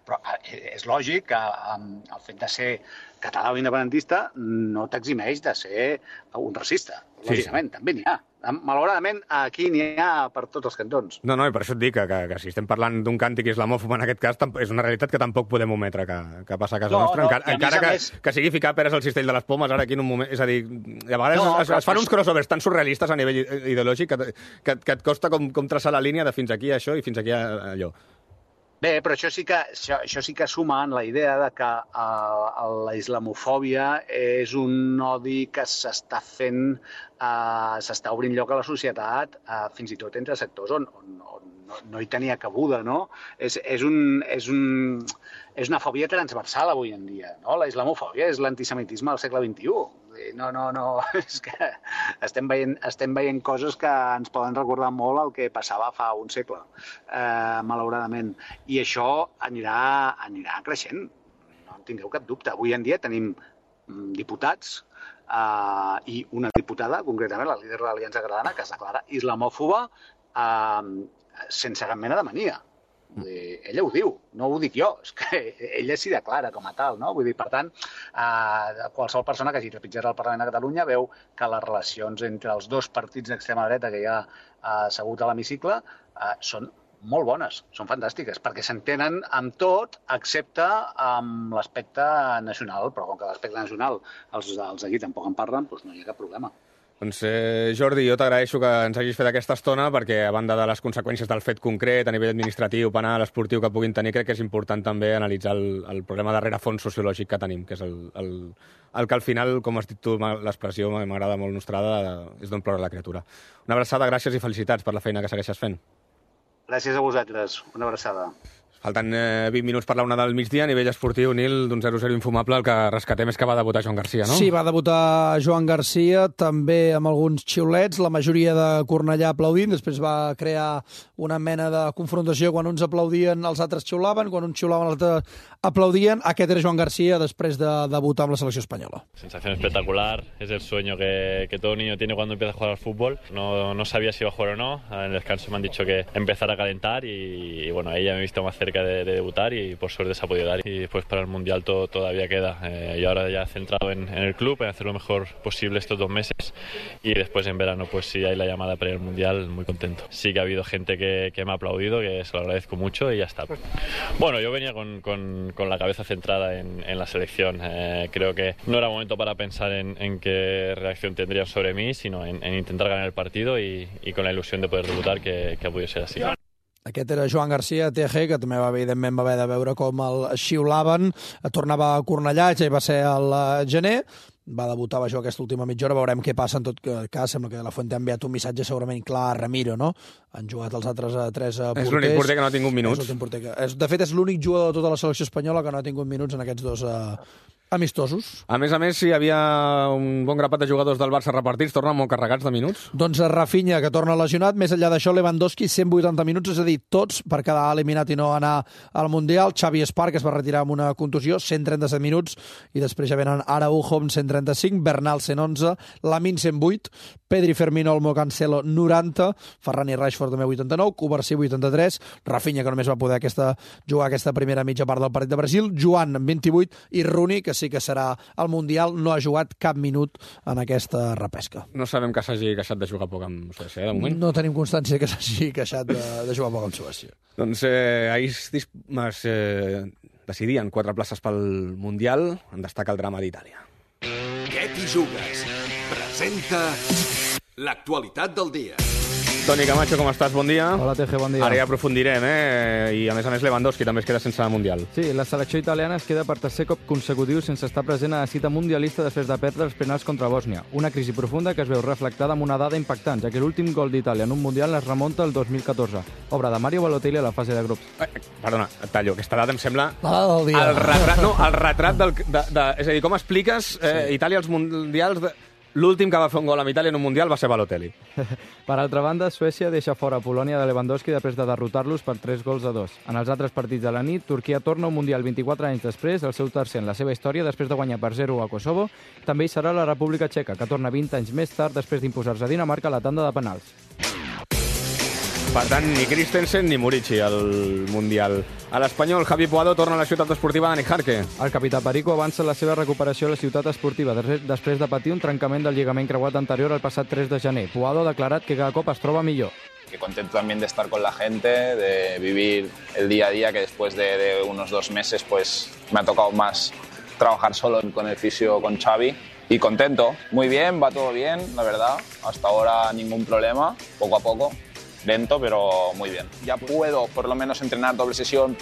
però és lògic que el fet de ser català o independentista no t'eximeix de ser un racista. Lògicament, també n'hi ha. Malauradament, aquí n'hi ha per tots els cantons. No, i per això et dic que si estem parlant d'un càntic islamòfob en aquest cas, és una realitat que tampoc podem ometre que passa a casa nostra, encara que sigui ficar peres al cistell de les pomes ara aquí en un moment. És a dir, a vegades es fan uns crossovers tan surrealistes a nivell ideològic que et costa com traçar la línia de fins aquí això i fins aquí allò. Bé, però això sí que suma en la idea de que la islamofòbia és un odi que s'està fent, s'està obrint lloc a la societat, fins i tot entre sectors on no hi tenia cabuda, no? És una fòbia transversal avui en dia, no? La islamofòbia és l'antisemitisme del segle XXI. No, és que estem veient coses que ens poden recordar molt el que passava fa un segle, malauradament. I això anirà creixent, no en tingueu cap dubte. Avui en dia tenim diputats i una diputada, concretament la líder de l'Aliança Catalana, que es declara islamòfoba sense cap mena de mania. Ella ho diu, no ho dic jo, és que ella s'hi declara com a tal, no? Vull dir, per tant, qualsevol persona que hagi trepitjat al Parlament de Catalunya veu que les relacions entre els dos partits d'extrema dreta que hi ha assegut a l'hemicicle són molt bones, són fantàstiques, perquè s'entenen amb tot, excepte amb l'aspecte nacional, però com que l'aspecte nacional els d'aquí tampoc en parlen, doncs no hi ha cap problema. Doncs Jordi, jo t'agraeixo que ens hagis fet aquesta estona perquè, a banda de les conseqüències del fet concret, a nivell administratiu, penal, esportiu que puguin tenir, crec que és important també analitzar el problema de rerefons sociològic que tenim, que és el que al final, com has dit tu, l'expressió m'agrada molt nostrada, és d'on plora la criatura. Una abraçada, gràcies i felicitats per la feina que segueixes fent. Gràcies a vosaltres, una abraçada. Falten 20 minuts per la una del migdia. A nivell esportiu, Nil, d'un 0-0 infumable, el que rescatem és que va debutar Joan Garcia, no? Sí, va debutar Joan Garcia, també amb alguns xiulets, la majoria de Cornellà aplaudint, després va crear una mena de confrontació, quan uns aplaudien els altres xiulaven, quan uns xiulaven els altres aplaudien. Aquest era Joan Garcia després de debutar amb la selecció espanyola. Sensación espectacular, es el sueño que todo niño tiene cuando empieza a jugar al fútbol. No sabía si iba a jugar o no, en el descanso me han dicho que empezar a calentar y bueno, ahí ya me he visto más cerca de debutar y por suerte se ha podido dar. Y después para el Mundial todavía queda. Y ahora ya centrado en el club, en hacer lo mejor posible estos 2 meses y después en verano pues si hay la llamada para ir al Mundial, muy contento. Sí que ha habido gente que me ha aplaudido, que se lo agradezco mucho y ya está. Bueno, yo venía con la cabeza centrada en la selección. Creo que no era momento para pensar en qué reacción tendrían sobre mí, sino en intentar ganar el partido y con la ilusión de poder debutar, que ha podido ser así. Aquest era Joan Garcia, TG, que també evidentment va haver de veure com el xiulaven. Tornava a Cornellà, ja hi va ser al gener. Va debutar, va jugar aquesta última mitja hora, veurem què passa. En tot cas, sembla que la Fuente ha enviat un missatge segurament clar a Ramiro, no? Han jugat els altres 3 porters. És l'únic porter que no ha tingut minuts. De fet, és l'únic jugador de tota la selecció espanyola que no ha tingut minuts en aquests 2 amistosos. A més, hi havia un bon grapat de jugadors del Barça repartits, tornen molt carregats de minuts. Doncs Rafinha, que torna lesionat, més enllà d'això Lewandowski, 180 minuts, és a dir, tots per quedar eliminat i no anar al Mundial. Xavi Esparc, que es va retirar amb una contusió, 137 minuts, i després ja venen Araujo amb 135, Bernal 111, Lamine 108, Pedri, Firmino, Olmo, Cancelo 90, Ferran i Rashford també 89, Covarsí 83, Rafinha, que només va poder jugar aquesta primera mitja part del partit de Brasil, Joan 28 i Rooney, que sí que serà al Mundial, no ha jugat cap minut en aquesta repesca. No sabem que s'hagi queixat de jugar poc amb Suècia, de moment. No tenim constància que s'hagi queixat de jugar poc amb Suècia. Doncs ahir es decidien 4 places pel Mundial, en destaca el drama d'Itàlia. Què t'hi jugues? Presenta l'actualitat del dia. Toni Camacho, com estàs? Bon dia. Hola, TG, bon dia. Ara ja aprofundirem, I a més Lewandowski també es queda sense Mundial. Sí, la selecció italiana es queda per tercer cop consecutiu sense estar present a la cita mundialista després de perdre els penals contra Bòsnia. Una crisi profunda que es veu reflectada amb una dada impactant, ja que l'últim gol d'Itàlia en un Mundial es remunta al 2014, obra de Mario Balotelli a la fase de grups. Perdona, et tallo. Aquesta dada em sembla... La dada del dia. El retrat és a dir, com expliques Itàlia als Mundials... L'últim que va fer un gol amb Itàlia en un Mundial va ser Balotelli. Per altra banda, Suècia deixa fora Polònia de Lewandowski després de derrotar-los per 3-2. En els altres partits de la nit, Turquia torna un Mundial 24 anys després, el seu tercer en la seva història, després de guanyar per 0 a Kosovo. També hi serà la República Txeca, que torna 20 anys més tard després d'imposar-se a Dinamarca a la tanda de penals. Per tant, ni Christensen ni Murici al Mundial. A l'Espanyol, Javi Puado torna a la ciutat esportiva de Nejarque. El capità Perico avança la seva recuperació a la ciutat esportiva després de patir un trencament del lligament creuat anterior el passat 3 de gener. Puado ha declarat que cada cop es troba millor. Que contento también de estar con la gente, de vivir el día a día, que después de unos 2 meses pues me ha tocado más trabajar solo con el fisio, con Xavi. Y contento, muy bien, va todo bien, la verdad. Hasta ahora ningún problema, poco a poco. Lento, pero muy bien. Ya puedo por lo menos entrenar doble sesión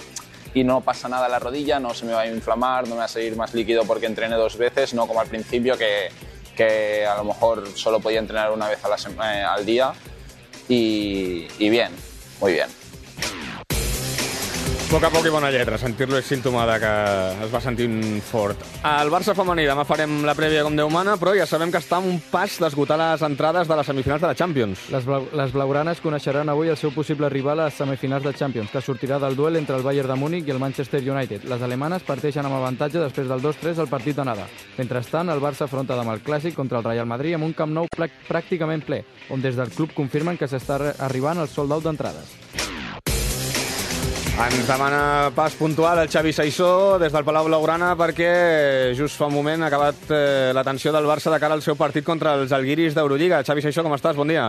y no pasa nada en la rodilla, no se me va a inflamar, no me va a salir más líquido porque entrené 2 veces, no como al principio que a lo mejor solo podía entrenar una vez al día y bien, muy bien. poc a poc i bona lletra. Sentir-lo és símptoma de que es va sentint fort. Al Barça femení demà farem la prèvia com Déu mana, però ja sabem que està a un pas d'esgotar les entrades de les semifinals de la Champions. Les blaugranes coneixeran avui el seu possible rival a les semifinals de Champions, que sortirà del duel entre el Bayern de Múnich i el Manchester United. Les alemanes parteixen amb avantatge després del 2-3 al partit d'anada. Mentrestant, el Barça afronta demà el clàssic contra el Real Madrid amb un Camp Nou pràcticament ple, on des del club confirmen que s'està arribant al sold out d'entrades. Ens demana pas puntual el Xavi Saissó des del Palau Blaugrana perquè just fa un moment ha acabat l'atenció del Barça de cara al seu partit contra els Alguiris d'Eurolliga. Xavi Saissó, com estàs? Bon dia.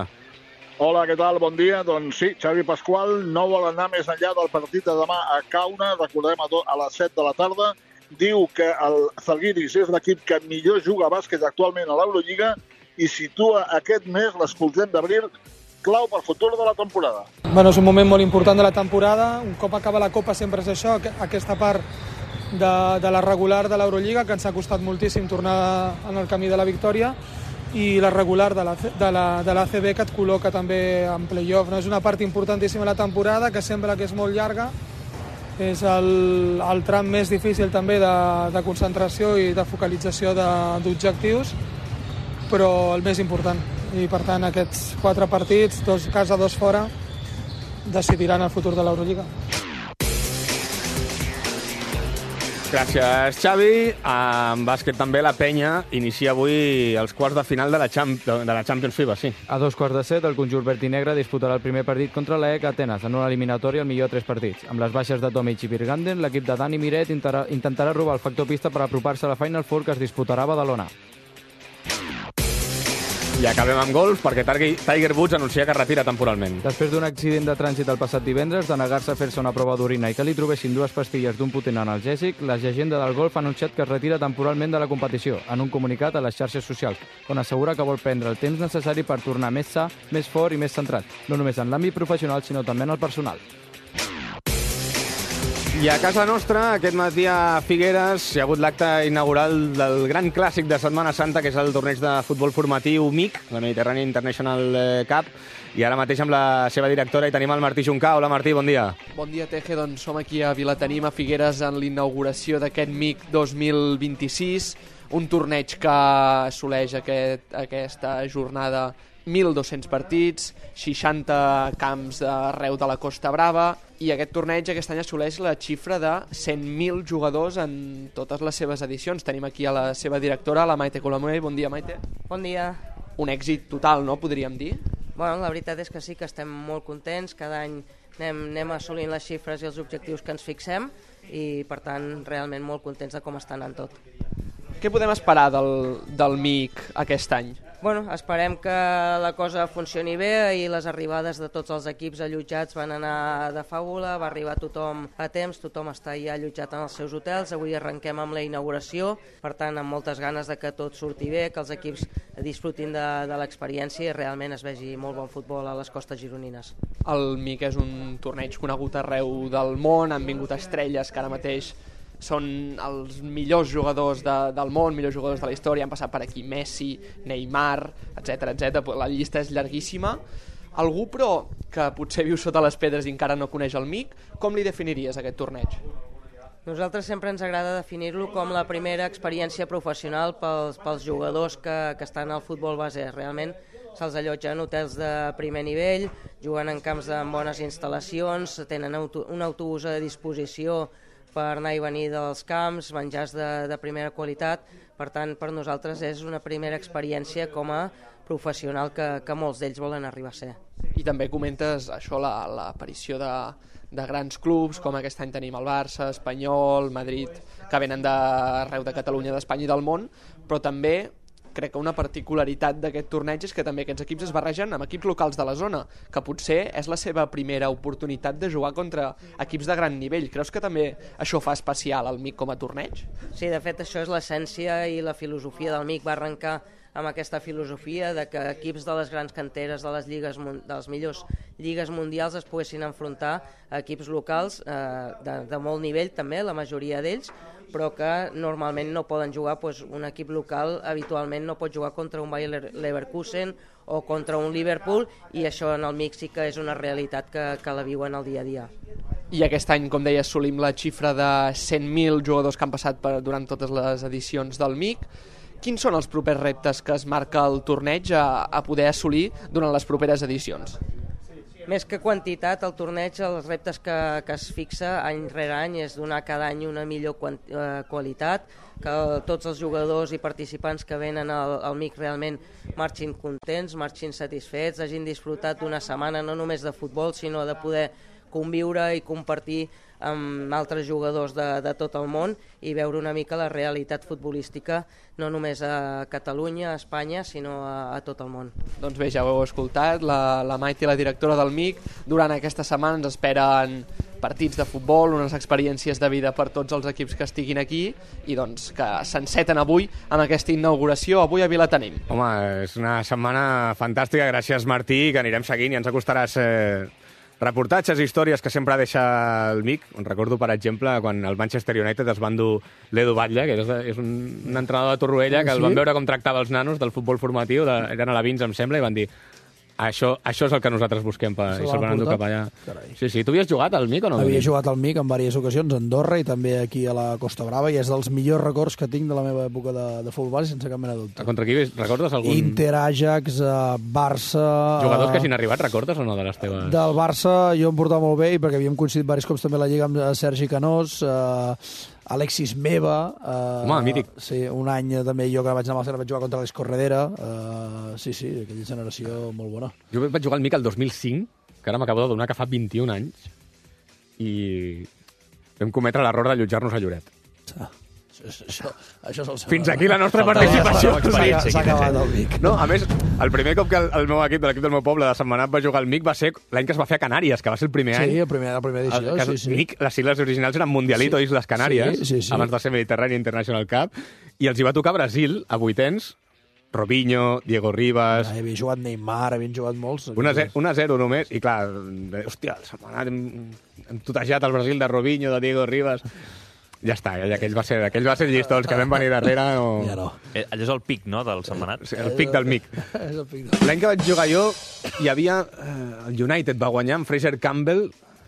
Hola, què tal? Bon dia. Doncs sí, Xavi Pasqual no vol anar més enllà del partit de demà a Kauna, recordem a les 7 de la tarda. Diu que el Zalgiris és l'equip que millor juga a bàsquet actualment a l'Eurolliga i situa aquest mes, l'escoltem d'abril, clau pel futur de la temporada. Bueno, és un moment molt important de la temporada. Un cop acaba la Copa sempre és això, aquesta part de la regular de l'Eurolliga, que ens ha costat moltíssim tornar en el camí de la victòria, i la regular de l'ACB, que et col·loca també en play-off. És una part importantíssima de la temporada, que sembla que és molt llarga. És el tram més difícil també de concentració i de focalització d'objectius, però el més important. I per tant aquests 4 partits, 2 a casa, 2 fora, decidiran el futur de l'Eurolliga. Gràcies, Xavi. En bàsquet també la Penya inicia avui els quarts de final de la Champions FIBA, sí. A 2:15, el conjunt verd i negre disputarà el primer partit contra l'EC Atenes, en una eliminatòria al millor de 3 partits. Amb les baixes de Tomic i Virganden, l'equip de Dani Miret intentarà robar el factor pista per apropar-se a la Final Four que es disputarà a Badalona. I acabem amb golf, perquè Tiger Woods anuncia que retira temporalment. Després d'un accident de trànsit el passat divendres, de negar-se a fer-se una prova d'orina i que li trobessin 2 pastilles d'un potent analgèsic, la llegenda del golf ha anunciat que es retira temporalment de la competició, en un comunicat a les xarxes socials, on assegura que vol prendre el temps necessari per tornar més sa, més fort i més centrat, no només en l'àmbit professional, sinó també en el personal. I a casa nostra, aquest matí a Figueres, hi ha hagut l'acte inaugural del gran clàssic de Setmana Santa, que és el torneig de futbol formatiu MIC, la Mediterranean International Cup, i ara mateix amb la seva directora hi tenim el Martí Juncà. Hola, Martí, bon dia. Bon dia, Teje. Doncs som aquí a Vilatenim, a Figueres, en l'inauguració d'aquest MIC 2026, un torneig que assoleix aquesta jornada 1.200 partits, 60 camps arreu de la Costa Brava, i aquest torneig aquest any assoleix la xifra de 100.000 jugadors en totes les seves edicions. Tenim aquí a la seva directora, la Maite Colomer. Bon dia, Maite. Bon dia. Un èxit total, no?, podríem dir. Bueno, la veritat és que sí, que estem molt contents. Cada any anem assolint les xifres i els objectius que ens fixem i, per tant, realment molt contents de com està anant tot. Què podem esperar del MIC aquest any? Bueno, esperem que la cosa funcioni bé i les arribades de tots els equips allotjats van anar de fàbula, va arribar tothom a temps, tothom està ja allotjat en els seus hotels. Avui arrenquem amb la inauguració, per tant, amb moltes ganes de que tot surti bé, que els equips disfrutin de l'experiència i realment es vegi molt bon futbol a les costes gironines. El MIC és un torneig conegut arreu del món, han vingut estrelles que ara mateix són els millors jugadors del món, millors jugadors de la història, han passat per aquí Messi, Neymar, etc. La llista és llarguíssima. Algú, però, que potser viu sota les pedres i encara no coneix el MIC, com li definiries aquest torneig? Nosaltres sempre ens agrada definir-lo com la primera experiència professional pels jugadors que estan al futbol base. Realment se'ls allotja en hotels de primer nivell, juguen en camps amb bones instal·lacions, tenen un autobús a disposició per anar i venir dels camps, menjars de primera qualitat. Per tant, per nosaltres és una primera experiència com a professional que molts d'ells volen arribar a ser. I també comentes això, l'aparició de grans clubs, com aquest any tenim el Barça, Espanyol, Madrid, que venen d'arreu de Catalunya, d'Espanya i del món, però també crec que una particularitat d'aquest torneig és que també aquests equips es barregen amb equips locals de la zona, que potser és la seva primera oportunitat de jugar contra equips de gran nivell. Creus que també això fa especial el MIC com a torneig? Sí, de fet això és l'essència i la filosofia del MIC. Va arrencar amb aquesta filosofia de que equips de les grans canteres de les millors lligues mundials es poguessin enfrontar a equips locals de molt nivell també, la majoria d'ells, però que normalment no poden jugar. Un equip local habitualment no pot jugar contra un Bayer Leverkusen o contra un Liverpool, i això en el MIC sí que és una realitat que la viuen al dia a dia. i aquest any, com deia, assolim la xifra de 100.000 jugadors que han passat durant totes les edicions del MIC. Quins són els propers reptes que es marca el torneig a poder assolir durant les properes edicions? Més que quantitat, el torneig, els reptes que es fixa any rere any és donar cada any una millor qualitat, que tots els jugadors i participants que venen al MIC realment marxin contents, marxin satisfets, hagin disfrutat d'una setmana no només de futbol, sinó de poder conviure i compartir amb altres jugadors de tot el món i veure una mica la realitat futbolística no només a Catalunya, a Espanya, sinó a tot el món. Doncs bé, ja ho heu escoltat, la Maite, la directora del MIC, durant aquesta setmana ens esperen partits de futbol, unes experiències de vida per tots els equips que estiguin aquí i doncs que s'enceten avui amb aquesta inauguració, avui a Vilatenim. Home, és una setmana fantàstica, gràcies Martí, que anirem seguint i ens acostaràs reportatges i històries que sempre deixa el MIC. Recordo, per exemple, quan el Manchester United es va endur l'Edu Batlle, que és un entrenador de Torroella, que el van veure com tractava els nanos del futbol formatiu, eren a la Vins, em sembla, i van dir això és el que nosaltres busquem i se'l van endur cap allà. Sí, tu havies jugat al MIC o no? Havia jugat al MIC en diverses ocasions, a Andorra i també aquí a la Costa Brava, i és dels millors records que tinc de la meva època de futbol, sense cap mena de dubte. Contra qui recordes algun? Inter, Ajax, Barça... Jugadors que hagin arribat, recordes o no, de les teves? Del Barça jo em portava molt bé, perquè havíem coincidit diversos cops també a la Lliga amb Sergi Canós, Alexis Meva... Home, mític. Sí, un any també jo que vaig anar a Barcelona vaig jugar contra l'Escorredera. Sí, aquella generació molt bona. Jo vaig jugar al MIC el 2005, que ara m'acabo de donar que fa 21 anys, i vam cometre l'error d'allotjar-nos a Lloret. Això fins aquí la nostra participació. S'ha acabat el MIC. No, a més, el primer cop que el meu equip, l'equip del meu poble de Sentmenat va jugar al MIC va ser l'any que es va fer a Canàries, que va ser el primer any. Sí, la primera edició. Sí. MIC, les sigles originals eren Mundialito Islas Canàries, abans de ser Mediterrània International Cup, i els hi va tocar Brasil, a vuitens, Robinho, Diego Ribas... Havia jugat Neymar, havien jugat molts. 1-0 només, i clar, hòstia, el Sentmenat hem tutejat el Brasil de Robinho, de Diego Ribas... Ja està, aquell va ser el llistó, els que vam venir darrere... Ja no. Allò és el pic, no?, del Sentmenat? Sí, el pic del MIC. L'any que vaig jugar jo, hi havia... El United va guanyar amb Fraser Campbell,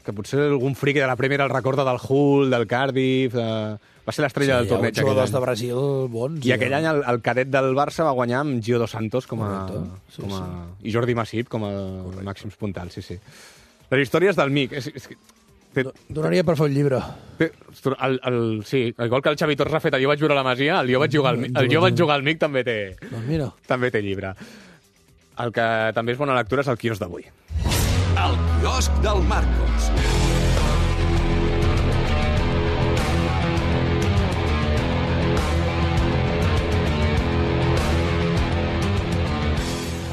que potser algun friqui de la Premier el recorda del Hull, del Cardiff... Va ser l'estrella del torneig aquell any. Jugadors de Brasil bons. I aquell any el cadet del Barça va guanyar amb Gio Dos Santos i Jordi Masip com a màxims puntals, sí. Les històries del MIC... Donaria per fer un llibre. El gol que el Xavi Torres ha fet a Jo vaig viure a la Masia, el Jo vaig jugar al MIC també té llibre. El que també és bona lectura és el quiosc d'avui. El quiosc del Marcos.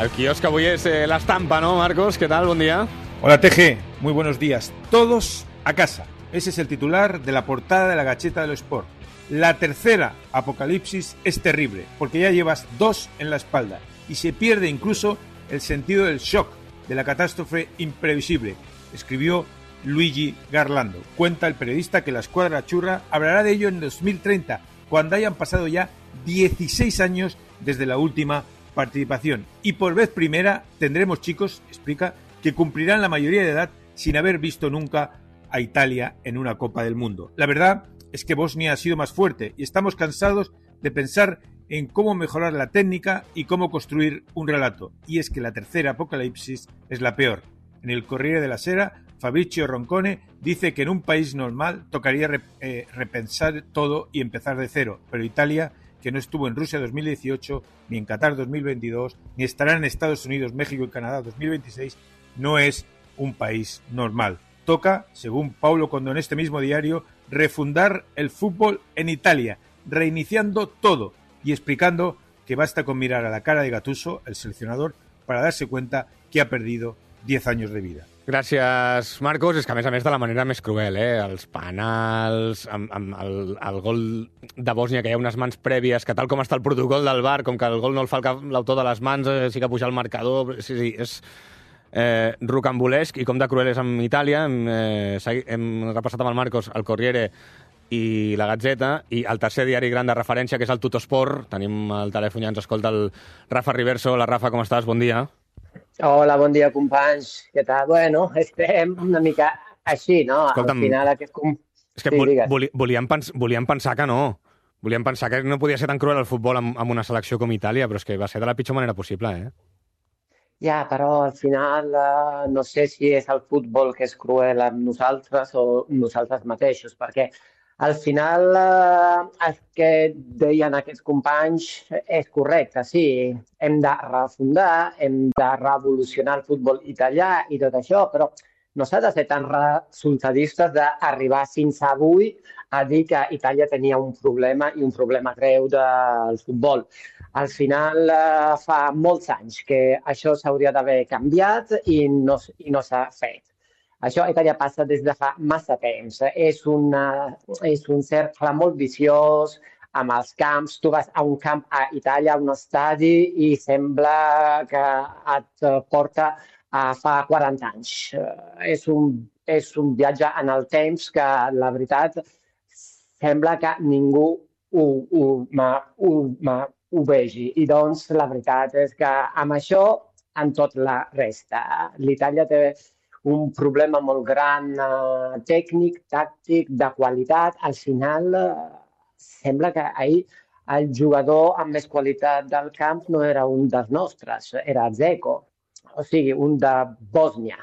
El quiosc avui és l'estampa, ¿no, Marcos? ¿Qué tal? Bon dia. Hola, TG. Muy buenos días. Todos a casa. Ese es el titular de la portada de la Gacheta de los Sport. La tercera apocalipsis es terrible, porque ya llevas 2 en la espalda y se pierde incluso el sentido del shock, de la catástrofe imprevisible, escribió Luigi Garlando. Cuenta el periodista que la escuadra churra hablará de ello en 2030, cuando hayan pasado ya 16 años desde la última participación. Y por vez primera tendremos chicos, explica, que cumplirán la mayoría de edad sin haber visto nunca a Italia en una Copa del Mundo. La verdad es que Bosnia ha sido más fuerte y estamos cansados de pensar en cómo mejorar la técnica y cómo construir un relato. Y es que la tercera apocalipsis es la peor. En el Corriere della Sera, Fabrizio Roncone dice que en un país normal tocaría repensar todo y empezar de cero, pero Italia, que no estuvo en Rusia 2018, ni en Qatar 2022, ni estará en Estados Unidos, México y Canadá 2026, no es un país normal. Toca, según Paulo Condò en este mismo diario, refundar el fútbol en Italia, reiniciando todo y explicando que basta con mirar a la cara de Gattuso, el seleccionador, para darse cuenta que ha perdido 10 años de vida. Gràcies, Marcos. És que, a més, de la manera més cruel, els penals, amb el gol de Bòsnia, que hi ha unes mans prèvies, que tal com està el protocol del VAR, com que el gol no el fa l'autor de les mans, sí que puja el marcador... Sí, és rocambolesc, i com de cruel és amb Itàlia. Hem repassat amb el Marcos el Corriere i la Gazzetta, i el tercer diari gran de referència, que és el Tuttosport. Tenim al telèfon, ja ens escolta el Rafa Riverso. Hola, Rafa, com estàs? Bon dia. Hola, bon dia, companys. Què tal? Bueno, estem una mica així, no? Escolta'm, al final aquest... És que volíem pensar que no. Volíem pensar que no podia ser tan cruel el futbol amb una selecció com Itàlia, però és que va ser de la pitjor manera possible, eh? Ja, però al final no sé si és el futbol que és cruel amb nosaltres o nosaltres mateixos, perquè al final el que deien aquests companys és correcte, sí, hem de refundar, hem de revolucionar el futbol italià i tot això, però no s'ha de ser tan resultadistes d'arribar fins avui a dir que Itàlia tenia un problema i un problema greu del futbol. Al final fa molts anys que això s'hauria d'haver canviat i no s'ha fet. Això a Itàlia passa des de fa massa temps. És un cercle molt viciós amb els camps. Tu vas a un camp a Itàlia, a un estadi, i sembla que et porta a fa 40 anys. És un viatge en el temps que, la veritat, sembla que ningú ho vegi. I doncs la veritat és que amb això, en tot la resta, l'Itàlia té un problema molt gran tècnic, tàctic, de qualitat. Al final sembla que ahir el jugador amb més qualitat del camp no era un dels nostres, era Dzeko, o sigui, un de Bòsnia.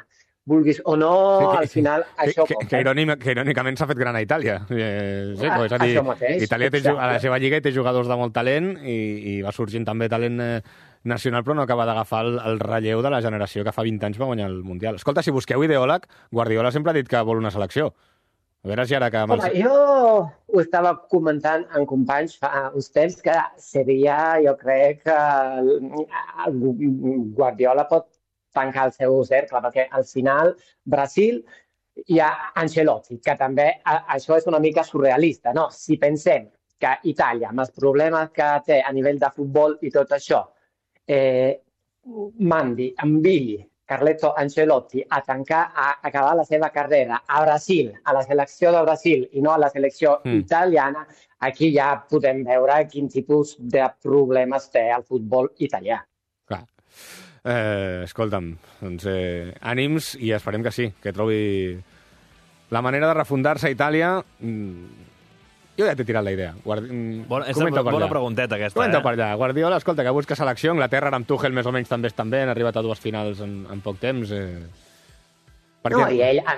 Vulguis o no, al final això... Que irònicament s'ha fet gran a Itàlia. Dzeko, és a dir, això mateix, Itàlia a la seva lliga té jugadors de molt talent i va sorgint també talent nacional, però no acaba d'agafar el relleu de la generació que fa 20 anys va guanyar el Mundial. Escolta, si busqueu ideòleg, Guardiola sempre ha dit que vol una selecció. A veure si ara que... Home, jo ho estava comentant amb companys fa uns temps que seria, jo crec, Guardiola pot tancar el seu cercle, perquè al final Brasil hi ha Ancelotti, que també això és una mica surrealista, no? Si pensem que Itàlia, amb els problemes que té a nivell de futbol i tot això, enviï Carleto Ancelotti a tancar, a acabar la seva carrera a Brasil, a la selecció de Brasil i no a la selecció italiana, aquí ja podem veure quin tipus de problemes té el futbol italià. Clar. Escolta'm, doncs ànims i esperem que sí, que trobi la manera de refundar-se a Itàlia. Jo ja t'he tirat la idea. És una bona pregunteta aquesta. Comenta per allà. Guardiola, escolta, que busca selecció. Anglaterra amb Tuchel més o menys també estan bé, han arribat a 2 finals en poc temps. No, i ell a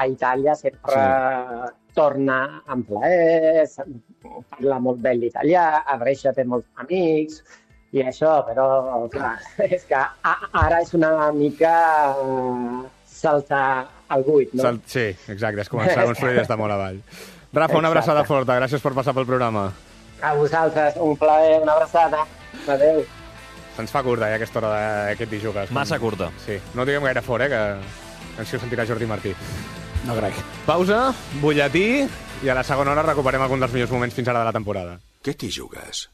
Itàlia sempre torna amb plaer, parla molt bé l'italià, a Brescia té molts amics i això, però clar, és que ara és una mica saltar al buit, no? Sí, exacte, és començar a construir des de molt avall. Rafa, una abraçada forta, gràcies per passar pel programa. A vosaltres, un plaer, una abraçada. Adéu. Se'ns fa curta, aquesta hora d'aquest Dijugues. Massa curta. Sí, no diguem gaire fort, que ens ho sentirà Jordi Martí. No crec. Pausa, butlletí, i a la segona hora recuperem algun dels millors moments fins ara de la temporada. Què t'hi jugues?